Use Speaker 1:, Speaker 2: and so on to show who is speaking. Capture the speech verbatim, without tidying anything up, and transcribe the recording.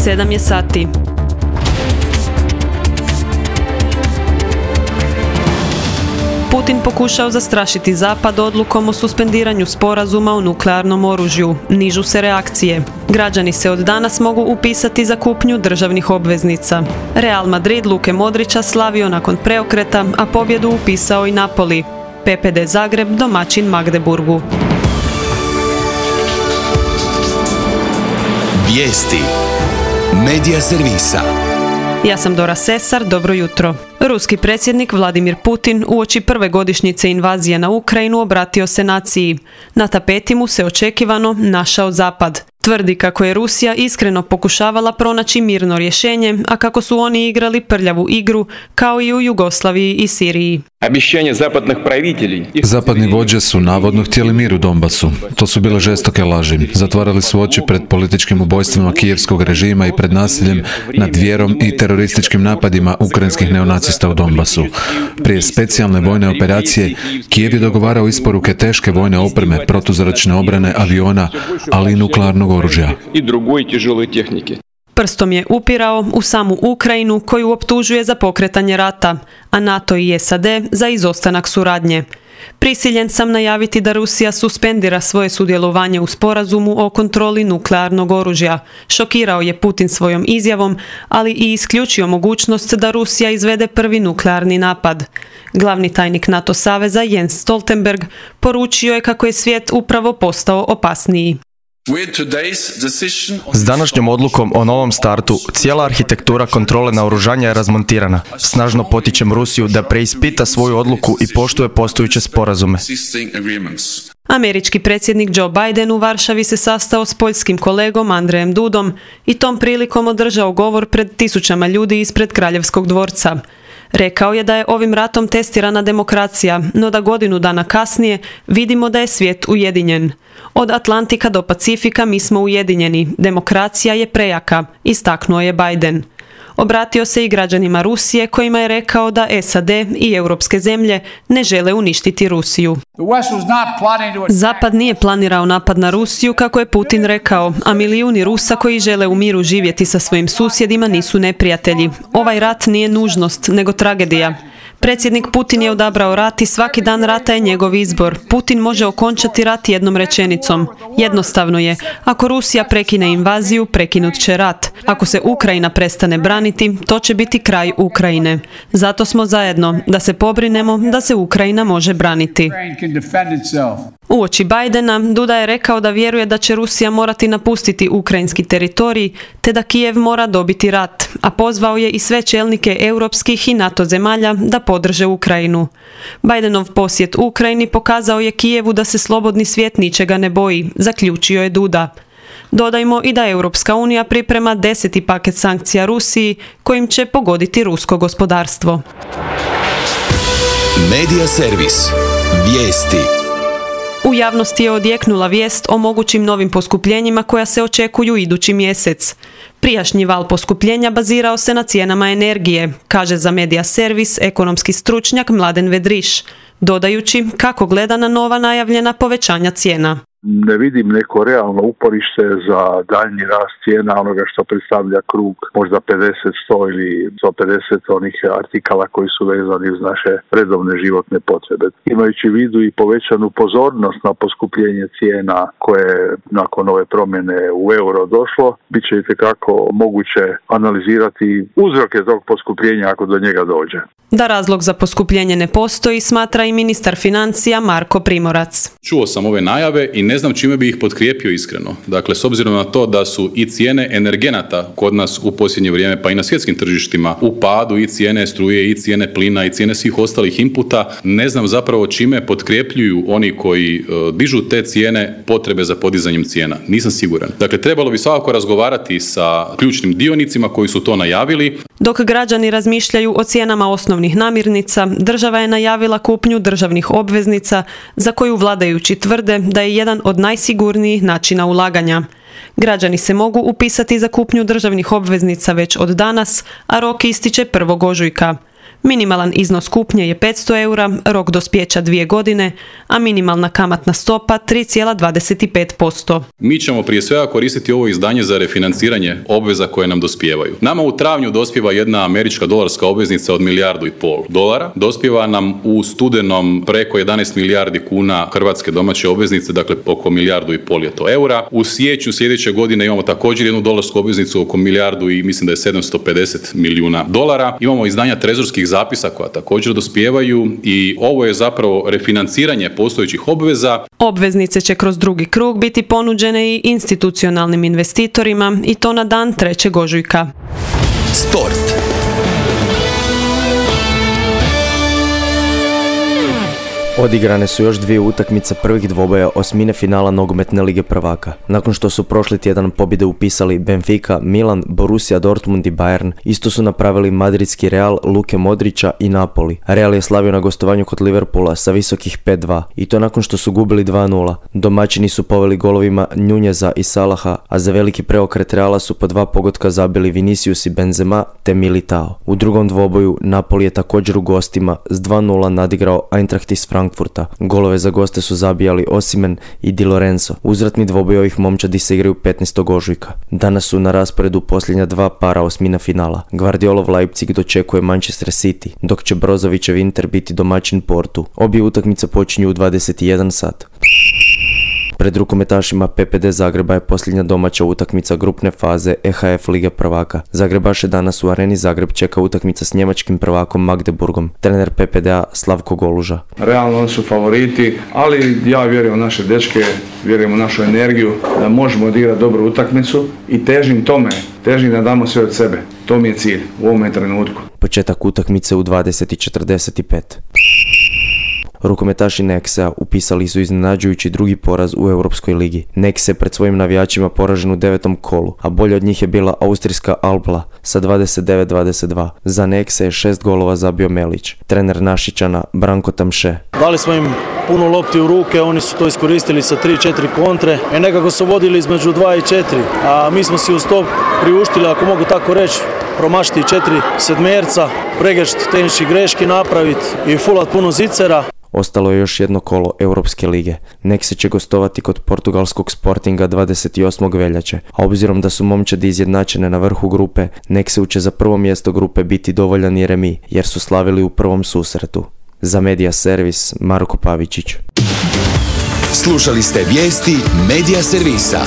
Speaker 1: sedam je sati. Putin pokušao zastrašiti Zapad odlukom o suspendiranju sporazuma o nuklearnom oružju. Nižu se reakcije. Građani se od danas mogu upisati za kupnju državnih obveznica. Real Madrid Luke Modrića slavio nakon preokreta, a pobjedu upisao i Napoli. P P D Zagreb domaćin Magdeburgu.
Speaker 2: Vijesti Medija servisa.
Speaker 1: Ja sam Dora Sesar, dobro jutro. Ruski predsjednik Vladimir Putin uoči prve godišnjice invazije na Ukrajinu obratio se naciji. Na tapeti mu se očekivano našao Zapad. Tvrdi kako je Rusija iskreno pokušavala pronaći mirno rješenje, a kako su oni igrali prljavu igru, kao i u Jugoslaviji i Siriji.
Speaker 3: Zapadni vođe su navodno htjeli mir u Donbasu. To su bile žestoke laži. Zatvarali su oči pred političkim ubojstvima kijevskog režima i pred nasiljem nad vjerom i terorističkim napadima ukrajinskih neonacista u Donbasu. Prije specijalne vojne operacije, Kijev je dogovarao isporuke teške vojne opreme, protuzračne obrane, aviona, ali i nuklearnog oružja.
Speaker 1: Prstom je upirao u samu Ukrajinu, koju optužuje za pokretanje rata, a NATO i S A D za izostanak suradnje. Prisiljen sam najaviti da Rusija suspendira svoje sudjelovanje u sporazumu o kontroli nuklearnog oružja. Šokirao je Putin svojom izjavom, ali i isključio mogućnost da Rusija izvede prvi nuklearni napad. Glavni tajnik NATO saveza Jens Stoltenberg poručio je kako je svijet upravo postao opasniji.
Speaker 4: S današnjom odlukom o novom startu, cijela arhitektura kontrole naoružanja je razmontirana. Snažno potičem Rusiju da preispita svoju odluku i poštuje postojeće sporazume.
Speaker 1: Američki predsjednik Joe Biden u Varšavi se sastao s poljskim kolegom Andrejem Dudom i tom prilikom održao govor pred tisućama ljudi ispred Kraljevskog dvorca. Rekao je da je ovim ratom testirana demokracija, no da godinu dana kasnije vidimo da je svijet ujedinjen. Od Atlantika do Pacifika mi smo ujedinjeni, demokracija je prejaka, istaknuo je Biden. Obratio se i građanima Rusije kojima je rekao da S A D i europske zemlje ne žele uništiti Rusiju. Zapad nije planirao napad na Rusiju, kako je Putin rekao, a milijuni Rusa koji žele u miru živjeti sa svojim susjedima nisu neprijatelji. Ovaj rat nije nužnost, nego tragedija. Predsjednik Putin je odabrao rat i svaki dan rata je njegov izbor. Putin može okončati rat jednom rečenicom. Jednostavno je, ako Rusija prekine invaziju, prekinut će rat. Ako se Ukrajina prestane braniti, to će biti kraj Ukrajine. Zato smo zajedno, da se pobrinemo da se Ukrajina može braniti. Uoči Bidena, Duda je rekao da vjeruje da će Rusija morati napustiti ukrajinski teritorij, te da Kijev mora dobiti rat, a pozvao je i sve čelnike europskih i NATO zemalja da podrže Ukrajinu. Bidenov posjet Ukrajini pokazao je Kijevu da se slobodni svijet ničega ne boji, zaključio je Duda. Dodajmo i da Europska unija priprema deseti paket sankcija Rusiji, kojim će pogoditi rusko gospodarstvo.
Speaker 2: Medija servis. Vijesti.
Speaker 1: U javnosti je odjeknula vijest o mogućim novim poskupljenjima koja se očekuju idući mjesec. Prijašnji val poskupljenja bazirao se na cijenama energije, kaže za Medija servis ekonomski stručnjak Mladen Vedriš, dodajući kako gleda na nova najavljena povećanja cijena.
Speaker 5: Ne vidim neko realno uporište za daljnji rast cijena onoga što predstavlja krug možda pedeset, sto ili sto pedeset onih artikala koji su vezani uz naše redovne životne potrebe. Imajući u vidu i povećanu pozornost na poskupljenje cijena koje nakon ove promjene u euro došlo, bit će itekako moguće analizirati uzroke tog poskupljenja ako do njega dođe.
Speaker 1: Da razlog za poskupljenje ne postoji, smatra i ministar financija Marko Primorac.
Speaker 6: Čuo sam ove najave i ne znam čime bi ih potkrijepio iskreno. Dakle, s obzirom na to da su i cijene energenata kod nas u posljednje vrijeme, pa i na svjetskim tržištima, u padu, i cijene struje, i cijene plina, i cijene svih ostalih inputa, ne znam zapravo čime potkrijepljuju oni koji uh, dižu te cijene potrebe za podizanjem cijena. Nisam siguran. Dakle, trebalo bi svakako razgovarati sa ključnim dionicima koji su to najavili.
Speaker 1: Dok građani razmišljaju o cijenama osnovnih namirnica, država je najavila kupnju državnih obveznica za koju vladajući tvrde da je jedan od najsigurnijih načina ulaganja. Građani se mogu upisati za kupnju državnih obveznica već od danas, a rok ističe prvog ožujka. Minimalan iznos kupnje je petsto eura, rok dospjeća dvije godine, a minimalna kamatna stopa tri zarez dvadeset pet posto.
Speaker 6: Mi ćemo prije svega koristiti ovo izdanje za refinanciranje obveza koje nam dospijevaju. Nama u travnju dospijeva jedna američka dolarska obveznica od milijardu i pol dolara. Dospijeva nam u studenom preko jedanaest milijardi kuna hrvatske domaće obveznice, dakle oko milijardu i pol je to eura. U siječnju sljedeće godine imamo također jednu dolarsku obveznicu oko milijardu i mislim da je sedamsto pedeset milijuna dolara. Imamo izdanja trezorskih zapisa koja također dospijevaju i ovo je zapravo refinanciranje postojećih obveza.
Speaker 1: Obveznice će kroz drugi krug biti ponuđene i institucionalnim investitorima i to na dan trećeg ožujka.
Speaker 2: Sport.
Speaker 4: Odigrane su još dvije utakmice prvih dvoboja osmine finala nogometne lige prvaka. Nakon što su prošli tjedan pobjede upisali Benfica, Milan, Borussia Dortmund i Bayern, isto su napravili madridski Real, Luke Modrića i Napoli. Real je slavio na gostovanju kod Liverpoola sa visokih pet dva i to nakon što su gubili dva nula. Domaćini su poveli golovima Nuneza i Salaha, a za veliki preokret Reala su po dva pogotka zabili Vinicius i Benzema te Militao. U drugom dvoboju Napoli je također u gostima s dva nula nadigrao Eintracht iz Frankfurta. Golove za goste su zabijali Osimhen i Di Lorenzo. Uzvratni dvoboj ovih momčadi se igraju petnaestog ožujka. Danas su na rasporedu posljednja dva para osmina finala. Guardiolov Leipzig dočekuje Manchester City, dok će Brozovićev Inter biti domaćin Portu. Obje utakmice počinju u dvadeset jedan sat. Pred rukometašima P P D Zagreba je posljednja domaća utakmica grupne faze E H F Lige prvaka. Zagrebaše danas u Areni Zagreb čeka utakmica s njemačkim prvakom Magdeburgom. Trener P P D-a Slavko Goluža.
Speaker 7: Realno oni su favoriti, ali ja vjerujem u naše dečke, vjerujem u našu energiju da možemo odigrati dobru utakmicu i težim tome, težim da damo sve od sebe. To mi je cilj u ovom trenutku.
Speaker 4: Početak utakmice u dvadeset i četrdeset pet. Rukometaši Nexe upisali su iznenađujući drugi poraz u Europskoj ligi. Nexe je pred svojim navijačima poražen u devetom kolu, a bolje od njih je bila austrijska Albla sa dvadeset devet dvadeset dva. Za Nexe je šest golova zabio Melić. Trener Našičana Branko Tamše.
Speaker 8: Dali smo im puno lopti u ruke, oni su to iskoristili sa tri četiri kontre i nekako su vodili između dva i četiri, a mi smo si uz to priuštili, ako mogu tako reći, promašiti četiri sedmerca, pregešt tehnički greški napraviti i fulat puno zicera.
Speaker 4: Ostalo je još jedno kolo Europske lige. Nexe će gostovati kod portugalskog Sportinga dvadeset osmog veljače, a obzirom da su momčadi izjednačene na vrhu grupe, Nexeu će za prvo mjesto grupe biti dovoljan i remi, jer su slavili u prvom susretu. Za Media Servis, Marko Pavičić.
Speaker 2: Slušali ste vijesti Media Servisa.